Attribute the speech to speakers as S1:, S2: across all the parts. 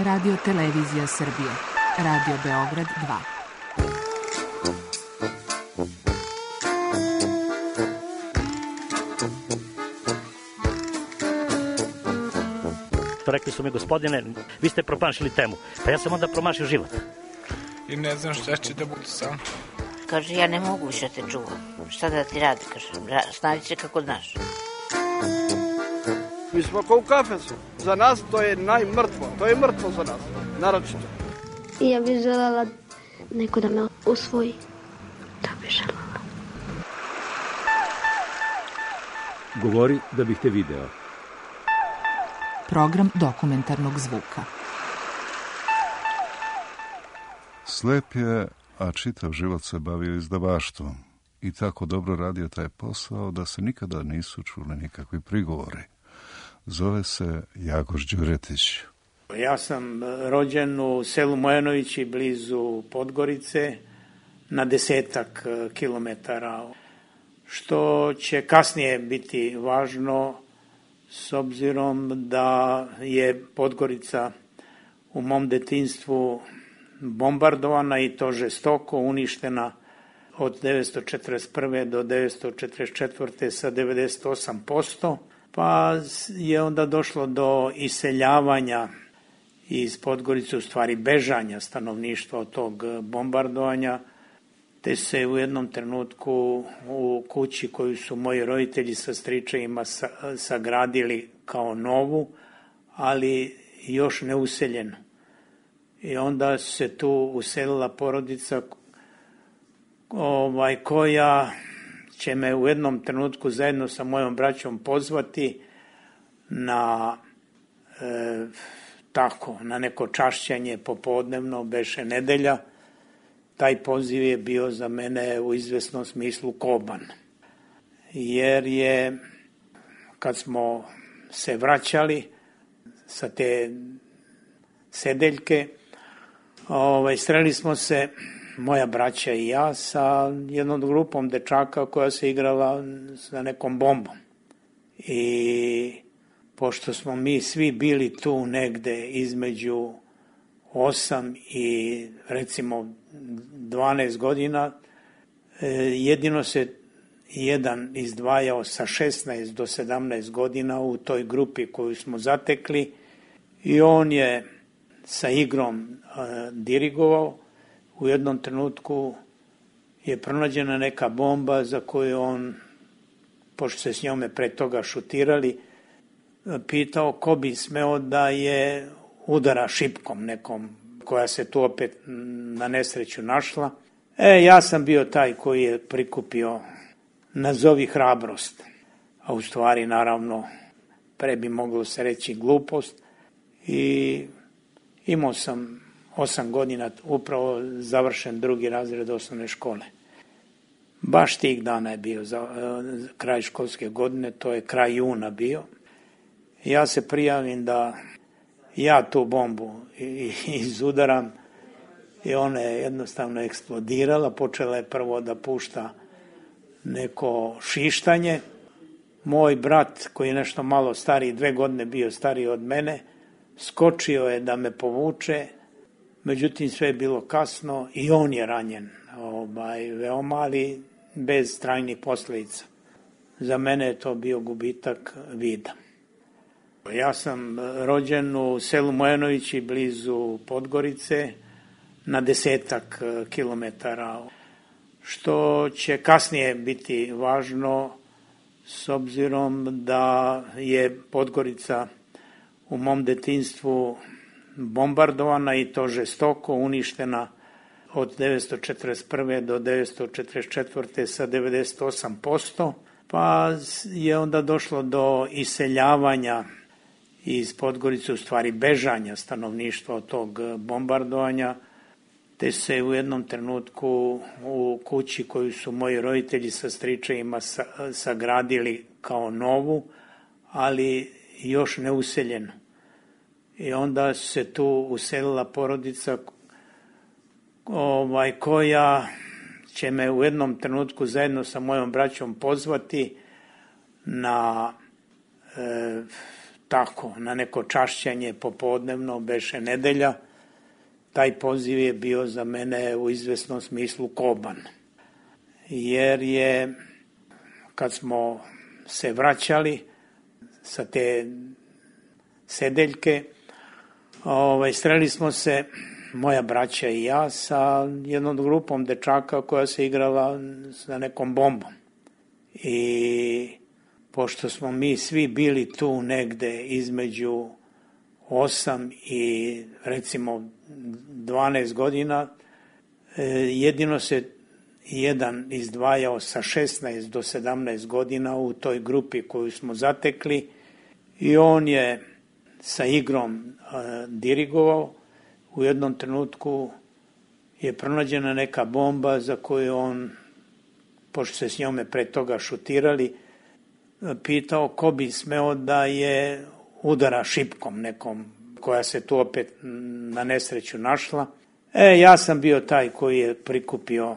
S1: Radio Televizija Srbije. Radio Beograd 2.
S2: Rekli su mi, gospodine, vi ste promašili temu. Pa ja sam onda promašio život.
S3: I ne znam šta će da bude sam.
S4: Kaže, ja ne mogu više te čuvam. Šta da ti radi, kaže, snađi se kako znaš.
S5: Mi smo kao u kafesu. Za nas to je najmrtvo. To je mrtvo za nas, naročito.
S6: I ja bih želela neko da me usvoji. Da bih želela.
S7: Govori da bih te video.
S1: Program dokumentarnog zvuka.
S8: Slep je, a čitav život se bavio izdavaštvom i tako dobro radio taj posao da se nikada nisu čuli nikakvi prigovori. Zove se Jagoš Đuretić.
S9: Ja sam rođen u selu Mojanovići blizu Podgorice na 10 kilometara, što će kasnije biti važno s obzirom da je Podgorica u mom detinjstvu bombardovana i to žestoko, uništena od 1941. do 1944. sa 98%, pa je onda došlo do iseljavanja iz Podgorice, u stvari bežanja stanovništva od tog bombardovanja, te se u jednom trenutku u kući koju su moji roditelji sa stričevima sagradili kao novu, ali još neuseljenu. I onda se tu uselila porodica koja će me u jednom trenutku zajedno sa mojom braćom pozvati na na neko čašćanje popodnevno, beše nedelja. Taj poziv je bio za mene u izvesnom smislu koban. Jer je, kad smo se vraćali sa te sedeljke, sreli smo se, moja braća i ja, sa jednom grupom dečaka koja se igrala sa nekom bombom. I pošto smo mi svi bili tu negde između 8 i recimo 12 godina, jedino se jedan izdvajao sa 16 do 17 godina u toj grupi koju smo zatekli i on je sa igrom dirigovao. U jednom trenutku je pronađena neka bomba za koju on, pošto se s njome pre toga šutirali, pitao ko bi smeo da je udara šipkom nekom koja se tu opet na nesreću našla. Ja sam bio taj koji je prikupio nazovi hrabrost, a u stvari naravno pre bi moglo se reći glupost, i imao sam 8 godina, upravo završen 2. razred osnovne škole. Baš tih dana je bio kraj školske godine, to je kraj juna bio. Ja se prijavim da ja tu bombu izudaram i ona je jednostavno eksplodirala. Počela je prvo da pušta neko šištanje. Moj brat, koji je nešto malo stariji, 2 godine bio stariji od mene, skočio je da me povuče, međutim sve je bilo kasno i on je ranjen, veoma, ali bez trajnih posljedica. Za mene je to bio gubitak vida. Ja sam rođen u selu Mojanovići blizu Podgorice na 10 kilometara, što će kasnije biti važno s obzirom da je Podgorica u mom detinjstvu bombardovana i to žestoko, uništena od 1941. do 1944. sa 98%, pa je onda došlo do iseljavanja iz Podgorice, u stvari bežanja stanovništva od tog bombardovanja, te se u jednom trenutku u kući koju su moji roditelji sa stričevima sagradili kao novu, ali još neuseljenu. I onda se tu uselila porodica koja će me u jednom trenutku zajedno sa mojom braćom pozvati na tako, na neko čašćenje popodnevno, beše nedelja. Taj poziv je bio za mene u izvesnom smislu koban. Jer je, kad smo se vraćali sa te sedeljke, sreli smo se, moja braća i ja, sa jednom grupom dečaka koja se igrala sa nekom bombom. I pošto smo mi svi bili tu negde između 8 i recimo 12 godina, jedino se jedan izdvajao sa 16 do 17 godina u toj grupi koju smo zatekli i on je sa igrom dirigovao. U jednom trenutku je pronađena neka bomba za koju on, pošto se s njome pre toga šutirali, pitao ko bi smeo da je udara šipkom nekom koja se tu opet na nesreću našla. Ja sam bio taj koji je prikupio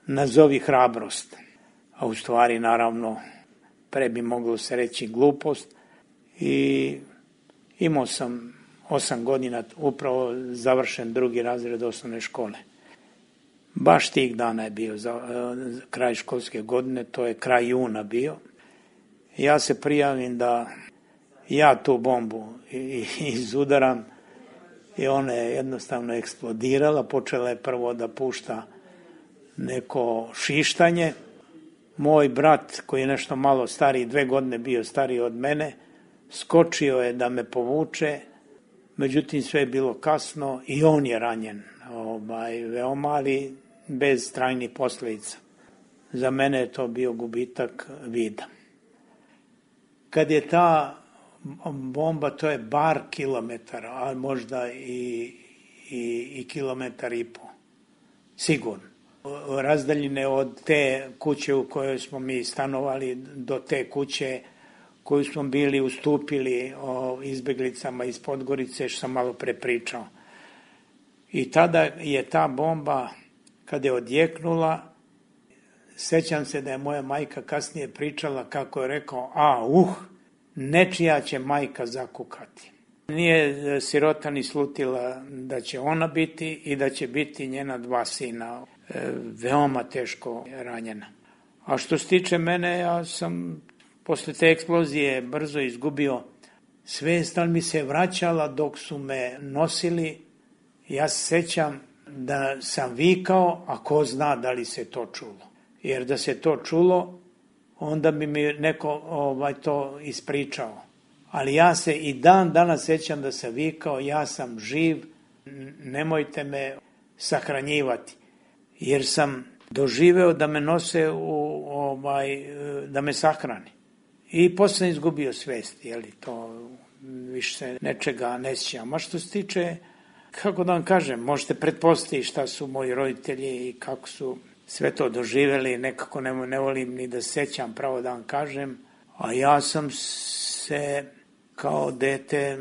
S9: nazovi hrabrost, a u stvari naravno pre bi moglo se reći glupost, i imao sam 8 godina, upravo završen 2. razred osnovne škole. Baš tih dana je bio kraj školske godine, to je kraj juna bio. Ja se prijavim da ja tu bombu izudaram i ona je jednostavno eksplodirala, počela je prvo da pušta neko šištanje. Moj brat, koji je nešto malo stariji, 2 godine bio stariji od mene, skočio je da me povuče, međutim sve je bilo kasno i on je ranjen, veoma, ali bez trajnih posljedica. Za mene je to bio gubitak vida. Kad je ta bomba, to je bar kilometar, a možda i kilometar i po, sigurno. Razdaljine od te kuće u kojoj smo mi stanovali do te kuće koju smo bili ustupili izbeglicama iz Podgorice, što sam malo prepričao. I tada je ta bomba, kada je odjeknula, sećam se da je moja majka kasnije pričala kako je rekao, nečija će majka zakukati. Nije sirota ni slutila da će ona biti i da će biti njena 2 sina, veoma teško ranjena. A što se tiče mene, ja sam posle te eksplozije brzo izgubio svest, ali mi se vraćala dok su me nosili. Ja se sećam da sam vikao, a ko zna da li se to čulo. Jer da se to čulo, onda bi mi neko to ispričao. Ali ja se i dan danas sećam da sam vikao, ja sam živ, nemojte me sahranjivati. Jer sam doživeo da me nose da me sahrani. I posle sam izgubio svest, to više se nečega ne sjećam. A što se tiče, kako da vam kažem, možete pretpostaviti šta su moji roditelji i kako su sve to doživeli, nekako ne volim ni da sećam, pravo da vam kažem, a ja sam se kao dete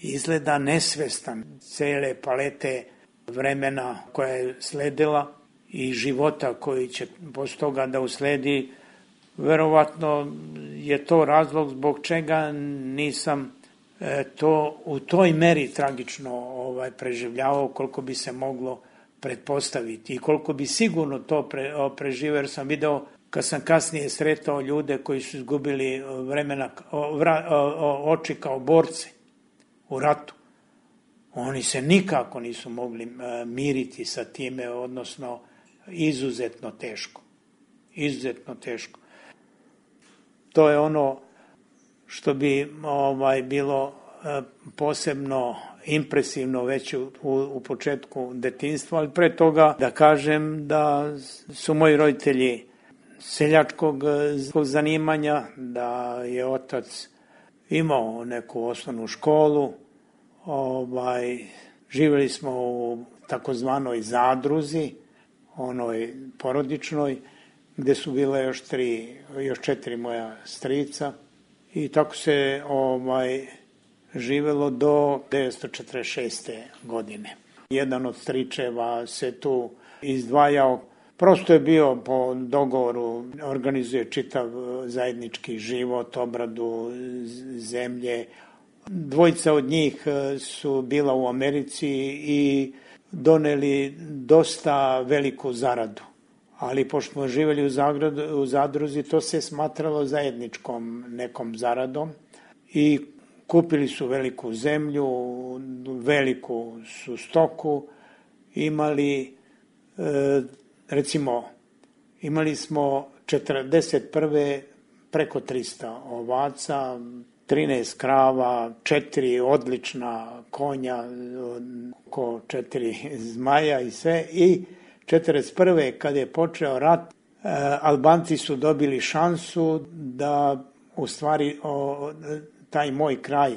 S9: izgleda nesvestan cele palete vremena koja je sledila i života koji će posle toga da usledi. Verovatno je to razlog zbog čega nisam to u toj meri tragično preživljavao koliko bi se moglo pretpostaviti i koliko bi sigurno to preživio, jer sam video kad sam kasnije sretao ljude koji su izgubili oči kao borci u ratu. Oni se nikako nisu mogli miriti sa time, odnosno izuzetno teško. Izuzetno teško. To je ono što bi bilo posebno impresivno već u početku detinjstva, ali pre toga da kažem da su moji roditelji seljačkog zanimanja, da je otac imao neku osnovnu školu, živjeli smo u takozvanoj zadruzi, onoj porodičnoj, gde su bile još 4 moja strica i tako se živelo do 1946. godine. Jedan od stričeva se tu izdvajao Prosto je bio po dogovoru, organizuje čitav zajednički život, obradu zemlje. Dvojica od njih su bila u Americi i doneli dosta veliku zaradu. Ali pošto smo živjeli u zadruzi, to se smatralo zajedničkom nekom zaradom i kupili su veliku zemlju, veliku su stoku, imali smo 41. preko 300 ovaca, 13 krava, 4 odlična konja, oko 4 zmaja i sve. I 41. kad je počeo rat, Albanci su dobili šansu da u stvari taj moj kraj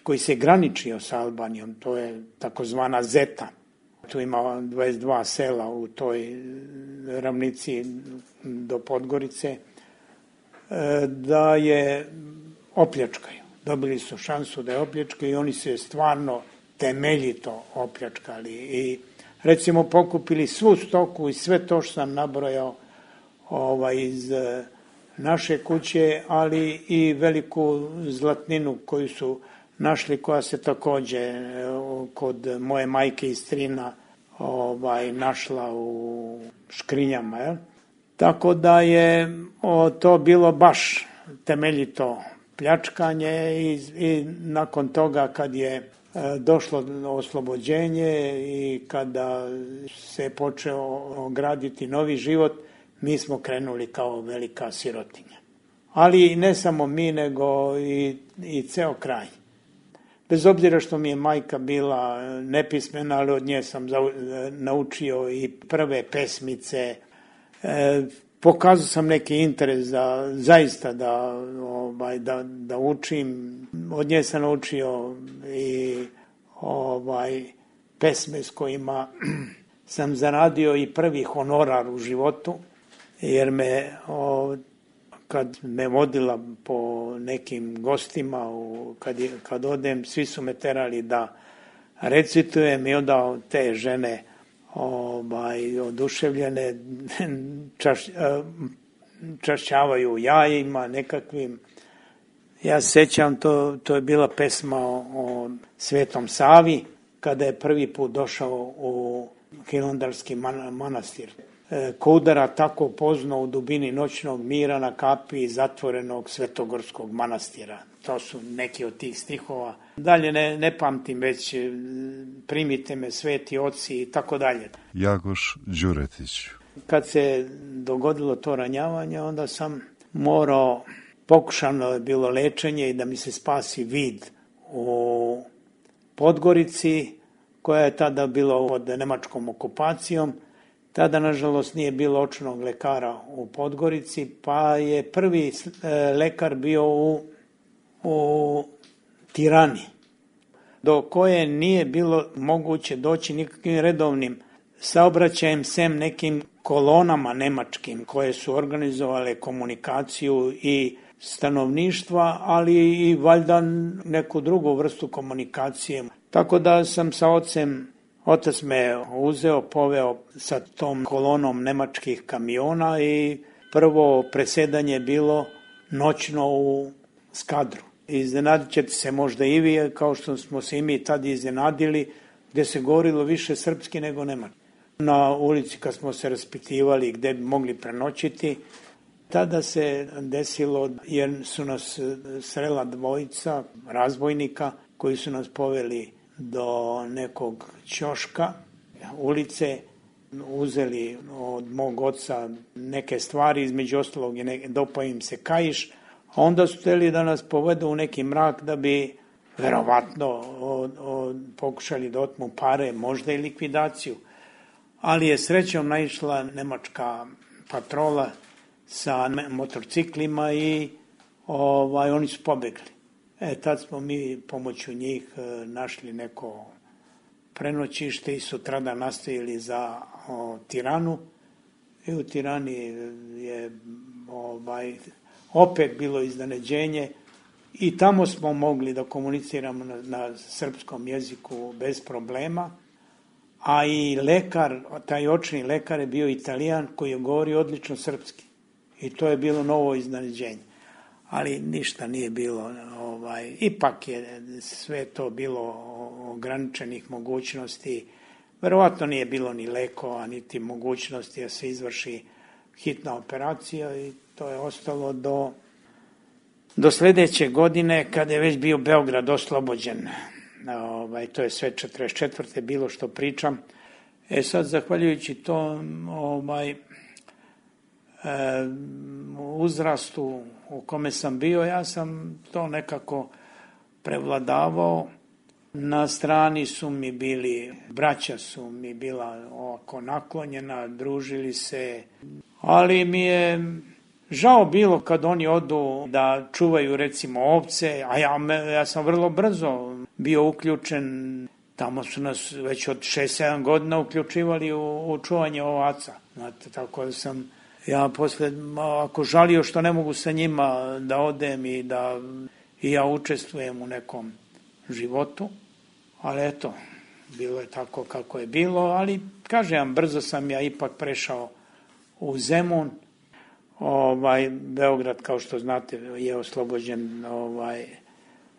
S9: koji se graničio sa Albanijom, to je takozvana Zeta. Tu ima 22 sela u toj ravnici do Podgorice, da je opljačkaju. Dobili su šansu da je opljačkaju i oni su je stvarno temeljito opljačkali. I recimo pokupili svu stoku i sve to što sam nabrojao iz naše kuće, ali i veliku zlatninu koju su našli, koja se također kod moje majke i strina našla u škrinjama. Jel? Tako da je to bilo baš temeljito pljačkanje i nakon toga kad je došlo oslobođenje i kada se počeo graditi novi život, mi smo krenuli kao velika sirotinja. Ali ne samo mi, nego i ceo kraj. Bez obzira što mi je majka bila nepismena, ali od nje sam naučio i prve pesmice. Pokazao sam neki interes zaista da učim. Od nje sam naučio i pesme s kojima sam zaradio i prvi honorar u životu, jer kad me vodila po nekim gostima, kad odem, svi su me terali da recitujem i onda te žene oduševljene čašćavaju jajima nekakvim. Ja se sjećam, to je bila pesma o Svetom Savi, kada je prvi put došao u Hilandarski manastir. Ko udara tako pozno u dubini noćnog mira na kapi zatvorenog Svetogorskog manastira. To su neki od tih stihova. Dalje ne pamtim, već primite me sveti oci i tako dalje.
S8: Jagoš Đuretić.
S9: Kad se dogodilo to ranjavanje, onda sam morao, pokušano je bilo lečenje i da mi se spasi vid u Podgorici, koja je tada bila pod nemačkom okupacijom. Tada, nažalost, nije bilo očnog lekara u Podgorici, pa je prvi lekar bio u Tirani, do koje nije bilo moguće doći nikakvim redovnim saobraćajem, sem nekim kolonama nemačkim koje su organizovale komunikaciju i stanovništva, ali i valjda neku drugu vrstu komunikacije. Tako da sam sa otac me uzeo, poveo sa tom kolonom nemačkih kamiona i prvo presedanje bilo noćno u Skadru. Iznenadit ćete se možda i vi, kao što smo se i mi tad iznenadili, gdje se govorilo više srpski nego nemački. Na ulici kad smo se raspitivali gdje bi mogli prenoćiti, tada se desilo, jer su nas srela dvojica razbojnika koji su nas poveli do nekog ćoška ulice, uzeli od mog oca neke stvari, između ostalog dopao im se kaiš, a onda su htjeli da nas povedu u neki mrak da bi verovatno pokušali da otmu pare, možda i likvidaciju. Ali je srećom naišla nemačka patrola sa motorciklima i oni su pobegli. Tad smo mi pomoću njih našli neko prenoćište i sutradan nastavili za Tiranu. I u Tirani je opet bilo iznenađenje i tamo smo mogli da komuniciramo na srpskom jeziku bez problema, a i lekar, taj očni lekar je bio Italijan koji je govorio odlično srpski. I to je bilo novo iznenađenje. Ali ništa nije bilo, ipak je sve to bilo ograničenih mogućnosti. Verovatno nije bilo ni lekova, niti mogućnosti da se izvrši hitna operacija i to je ostalo do sljedeće godine kada je već bio Beograd oslobođen. To je sve 44. bilo što pričam. Sad, zahvaljujući tom uzrastu u kome sam bio, ja sam to nekako prevladavao. Na strani su mi bili, braća su mi bila ovako naklonjena, družili se, ali mi je žao bilo kad oni odu da čuvaju recimo ovce, a ja sam vrlo brzo bio uključen, tamo su nas već od 6-7 godina uključivali u čuvanje ovaca. Znate, tako da sam ja posle ako žalio što ne mogu sa njima da odem i da i ja učestvujem u nekom životu, ali eto, bilo je tako kako je bilo, ali kažem, brzo sam ja ipak prešao u Zemun. Beograd, kao što znate, je oslobođen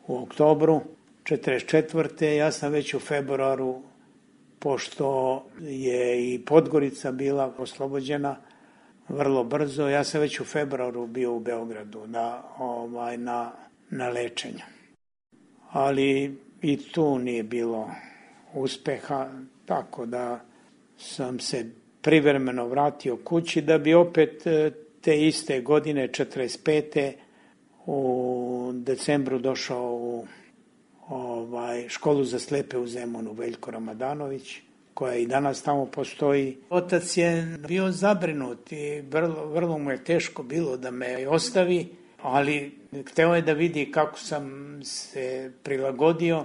S9: u oktobru 44. Ja sam već u februaru, pošto je i Podgorica bila oslobođena vrlo brzo, ja sam već u februaru bio u Beogradu na lečenju. Ali i tu nije bilo uspeha, tako da sam se privremeno vratio kući da bi opet te iste godine, 45. u decembru došao u školu za slepe u Zemunu, Veljko Ramadanović, koja i danas tamo postoji. Otac je bio zabrinut i vrlo mu je teško bilo da me ostavi, ali hteo je da vidi kako sam se prilagodio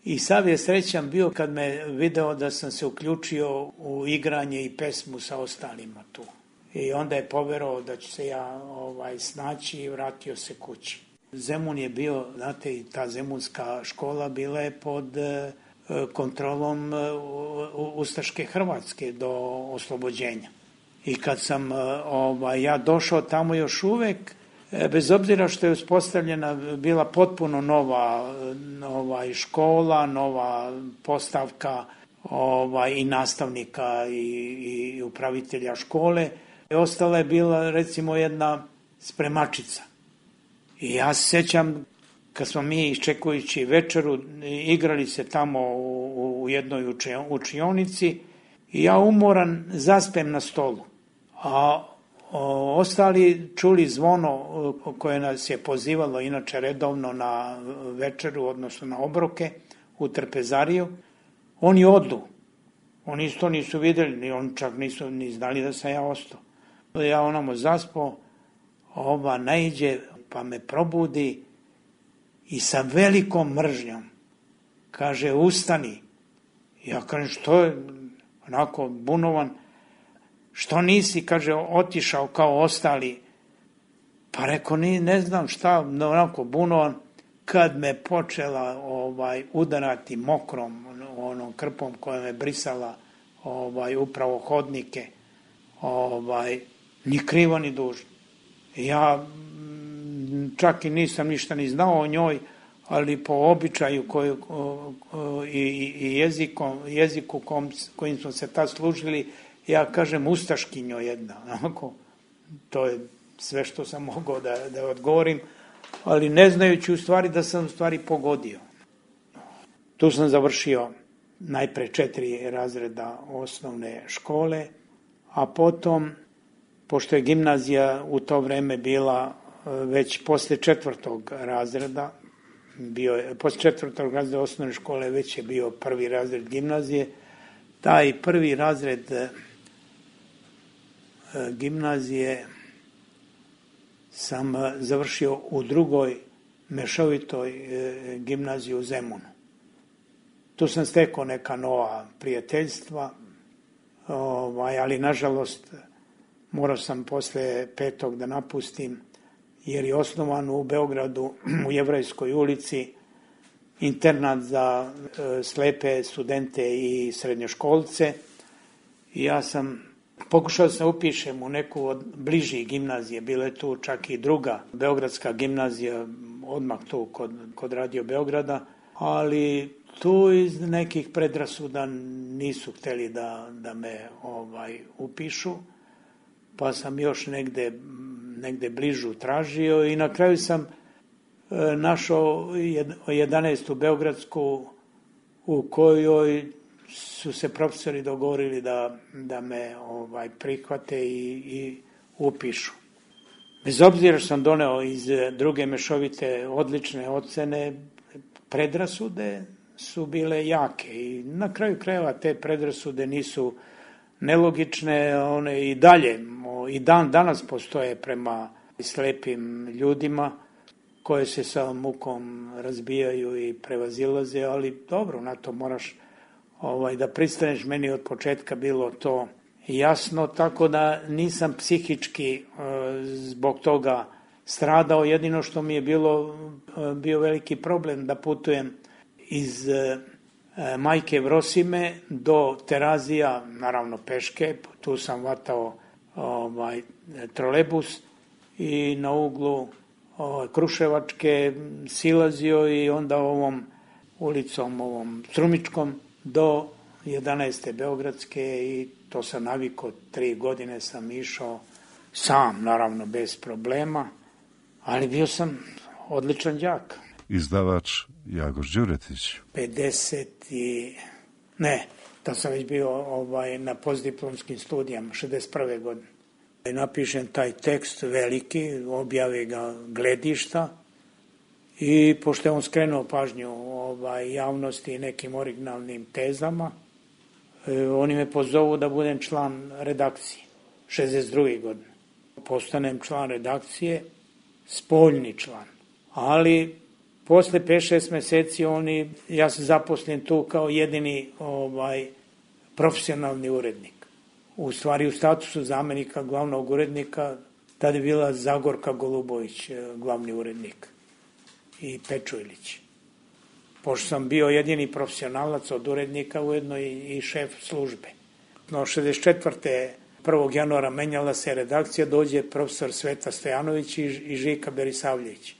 S9: i sav je srećan bio kad me video da sam se uključio u igranje i pesmu sa ostalima tu. I onda je poverovao da ću se ja snaći i vratio se kući. Zemun je bio, znate, i ta zemunska škola bila je pod kontrolom ustaške Hrvatske do oslobođenja. I kad sam ja došao tamo još uvek, bez obzira što je uspostavljena bila potpuno nova škola, nova postavka i nastavnika i upravitelja škole, ostala je bila recimo jedna spremačica. I ja se sjećam kad smo mi iščekujući večeru igrali se tamo u jednoj učionici i ja umoran zaspem na stolu. A ostali čuli zvono koje nas je pozivalo inače redovno na večeru, odnosno na obroke u trpezariju. Oni odu. Oni isto nisu vidjeli, oni čak nisu ni znali da sam ja ostao. Ja onamo zaspao, ova naiđe pa me probudi i sa velikom mržnjom kaže ustani. Ja kažem što je, onako bunovan, što nisi, kaže, otišao kao ostali. Pa rekao, ne znam šta, onako bunovan, kad me počela udarati mokrom, onom krpom koja me brisala upravo hodnike, ni krivo ni dužno. Ja čak i nisam ništa ni znao o njoj, ali po običaju i jeziku kojim smo se tad služili, ja kažem ustaškinjo jedna. Onako, to je sve što sam mogao da odgovorim, ali ne znajući u stvari da sam u stvari pogodio. Tu sam završio najpre 4 razreda osnovne škole, a potom, pošto je gimnazija u to vreme bila već posle 4. razreda, posle 4. razreda osnovne škole već je bio 1. razred gimnazije. Taj 1. razred gimnazije sam završio u 2. mešovitoj gimnaziji u Zemunu. Tu sam stekao neka nova prijateljstva, ali nažalost morao sam posle 5. da napustim, jer je osnovan u Beogradu u Jevrejskoj ulici internat za slepe studente i srednjoškolce. I ja sam pokušao da se upišem u neku od bližih gimnazije, bila je tu čak i druga beogradska gimnazija, odmah tu kod Radio Beograda, ali tu iz nekih predrasuda nisu hteli da me upišu, pa sam još negde bližu tražio i na kraju sam našao 11. beogradsku u kojoj su se profesori dogovorili da me prihvate i upišu. Bez obzira što sam doneo iz druge mešovite odlične ocene, predrasude su bile jake i na kraju krajeva te predrasude nisu nelogične, one i dalje, i dan danas postoje prema slepim ljudima koje se sa mukom razbijaju i prevazilaze, ali dobro, na to moraš da pristaneš. Meni od početka bilo to jasno, tako da nisam psihički zbog toga stradao. Jedino što mi je bio veliki problem da putujem iz Majke Vrosime do Terazija, naravno peške, tu sam vatao trolebus i na uglu Kruševačke silazio i onda ovom ulicom, ovom Strumičkom do 11. Beogradske i to sam navikao, 3 godine sam išao sam, naravno bez problema, ali bio sam odličan đak.
S8: Izdavač Jagoš Đuretić.
S9: To sam već bio na postdiplomskim studijama, 61. godine. Napišem taj tekst veliki, objave ga Gledišta i pošto je on skrenuo pažnju javnosti nekim originalnim tezama, oni me pozovu da budem član redakcije, 62. godine. Postanem član redakcije, spoljni član, ali posle 5-6 meseci ja se zaposlim tu kao jedini profesionalni urednik. U stvari u statusu zamenika glavnog urednika tada je bila Zagorka Golubović, glavni urednik, i Pečujlić. Pošto sam bio jedini profesionalac od urednika, ujedno i šef službe. No, 64. 1. januara menjala se redakcija, dođe profesor Sveta Stojanović i Žika Berisavljević.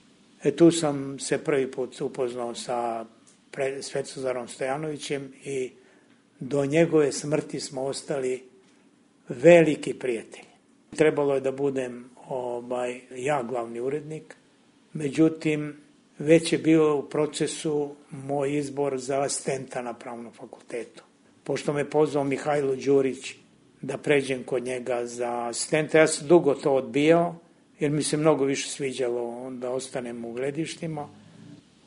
S9: Tu sam se prvi put upoznao sa Svetozarom Stojanovićem i do njegove smrti smo ostali veliki prijatelji. Trebalo je da budem ja glavni urednik, međutim već je bio u procesu moj izbor za asistenta na Pravnom fakultetu. Pošto me pozvao Mihajlo Đurić da pređem kod njega za asistenta, ja sam dugo to odbijao, jer mi se mnogo više sviđalo da ostanem u Gledištima.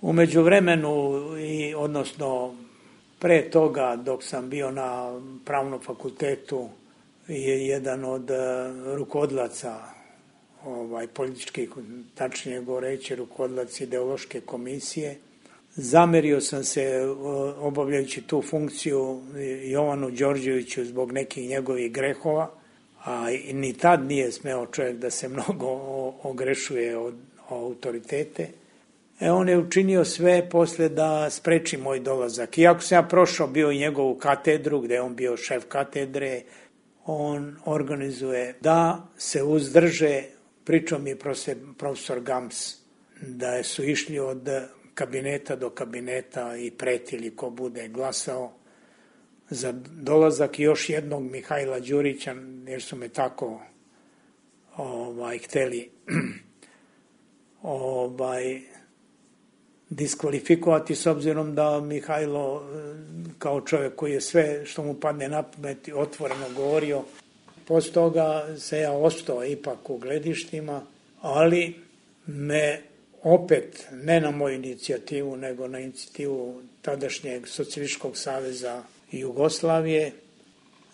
S9: U međuvremenu, odnosno pre toga dok sam bio na Pravnom fakultetu, je jedan od rukovodlaca političkih, tačnije govoreći rukovodlac ideološke komisije. Zamerio sam se obavljajući tu funkciju Jovanu Đorđeviću zbog nekih njegovih grehova, a ni tad nije smeo čovjek da se mnogo ogrešuje od autoritete. On je učinio sve posle da spreči moj dolazak. Iako sam ja prošao bio i njegovu katedru, gde je on bio šef katedre, on organizuje da se uzdrže, pričao mi je profesor Gams, da su išli od kabineta do kabineta i pretili ko bude glasao za dolazak još jednog Mihajla Đurića, jer su me tako hteli diskvalifikovati, s obzirom da Mihajlo, kao čovjek koji je sve što mu padne na pamet otvoreno govorio, posle toga se ja ostao ipak u Gledištima, ali me opet, ne na moju inicijativu, nego na inicijativu tadašnjeg Socijalističkog saveza Jugoslavije,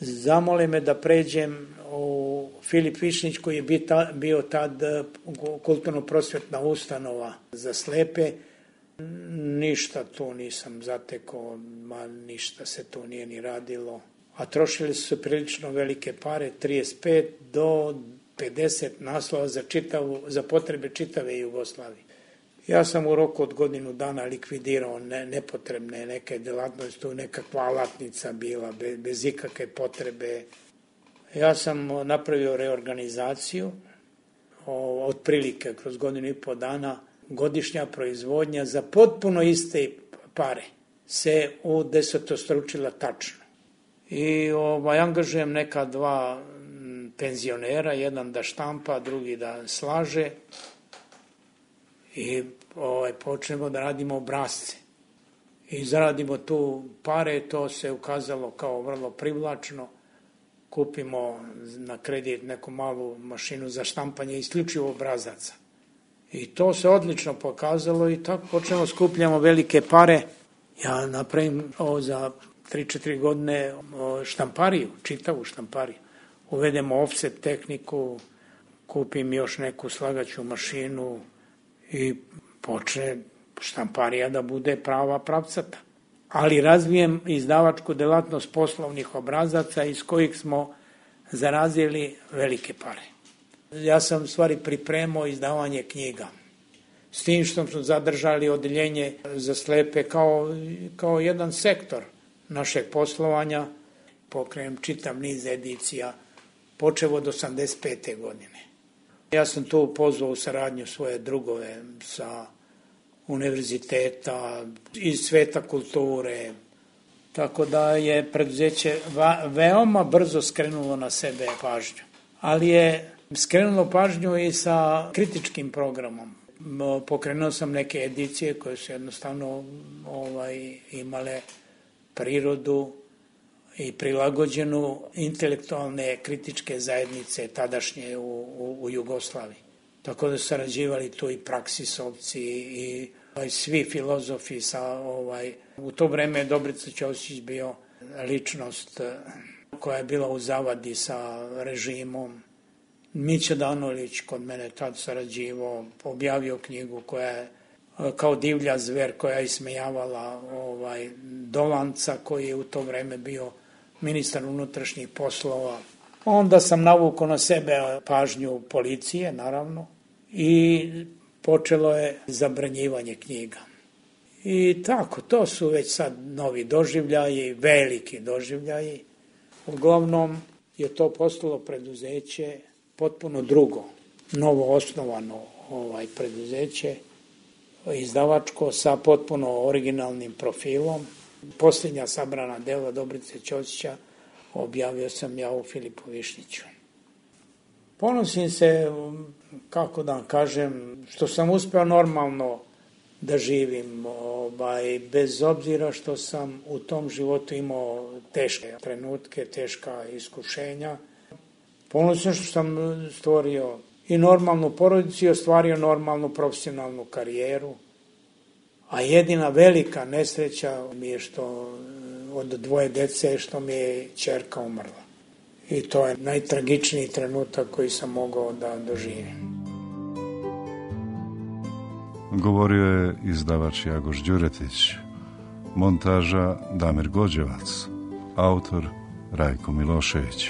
S9: zamole me da pređem u Filip Višnjić, koji je bio tad kulturno-prosvetna ustanova za slepe. Ništa tu nisam zatekao, ništa se tu nije ni radilo. A trošili su se prilično velike pare, 35 do 50 naslova za potrebe čitave Jugoslavije. Ja sam u roku od godinu dana likvidirao nepotrebne neke delatnosti, tu nekakva alatnica bila, bez ikakve potrebe. Ja sam napravio reorganizaciju, otprilike kroz godinu i po dana, godišnja proizvodnja za potpuno iste pare se udesetostručila tačno. I angažujem neka dva penzionera, jedan da štampa, drugi da slaže i počnemo da radimo obrazce. I zaradimo tu pare, to se ukazalo kao vrlo privlačno. Kupimo na kredit neku malu mašinu za štampanje isključivo obrazaca. I to se odlično pokazalo i tako počnemo skupljamo velike pare. Ja napravim za 3-4 godine štampariju, čitavu štampariju. Uvedemo offset tehniku, kupim još neku slagaću mašinu i počne štamparija da bude prava pravcata. Ali razvijem izdavačku delatnost poslovnih obrazaca iz kojih smo zarazili velike pare. Ja sam u stvari pripremao izdavanje knjiga. S tim što smo zadržali odeljenje za slepe kao jedan sektor našeg poslovanja. Pokrenem čitav niz edicija, počevo od 85. godine. Ja sam tu pozvao u saradnju svoje drugove sa univerziteta, iz sveta kulture, tako da je preduzeće veoma brzo skrenulo na sebe pažnju. Ali je skrenulo pažnju i sa kritičkim programom. Pokrenuo sam neke edicije koje su jednostavno imale prirodu i prilagođenu intelektualne kritičke zajednice tadašnje u Jugoslaviji. Tako da su sarađivali tu i praksisovci i svi filozofi u to vreme Dobrica Ćosić bio ličnost koja je bila u zavadi sa režimom. Mića Danolić kod mene tad sarađivao, objavio knjigu koja je kao divlja zver koja je ismejavala Dolanca koji je u to vreme bio ministar unutrašnjih poslova. Onda sam navukao na sebe pažnju policije, naravno, i počelo je zabranjivanje knjiga. I tako, to su već sad novi doživljaji, veliki doživljaji. Uglavnom je to postalo preduzeće potpuno drugo, novo osnovano preduzeće, izdavačko sa potpuno originalnim profilom. Posljednja sabrana dela Dobrice Ćosića objavio sam ja u Filipu Višnjiću. Ponosim se, kako da kažem, što sam uspeo normalno da živim, bez obzira što sam u tom životu imao teške trenutke, teška iskušenja. Ponosim što sam stvorio i normalnu porodicu i ostvario normalnu profesionalnu karijeru. A jedina velika nesreća mi je što od 2 dece što mi je ćerka umrla. I to je najtragičniji trenutak koji sam mogao da doživim.
S8: Govorio je izdavač Jagoš Đuretić, montaža Damir Gođevac, autor Rajko Milošević.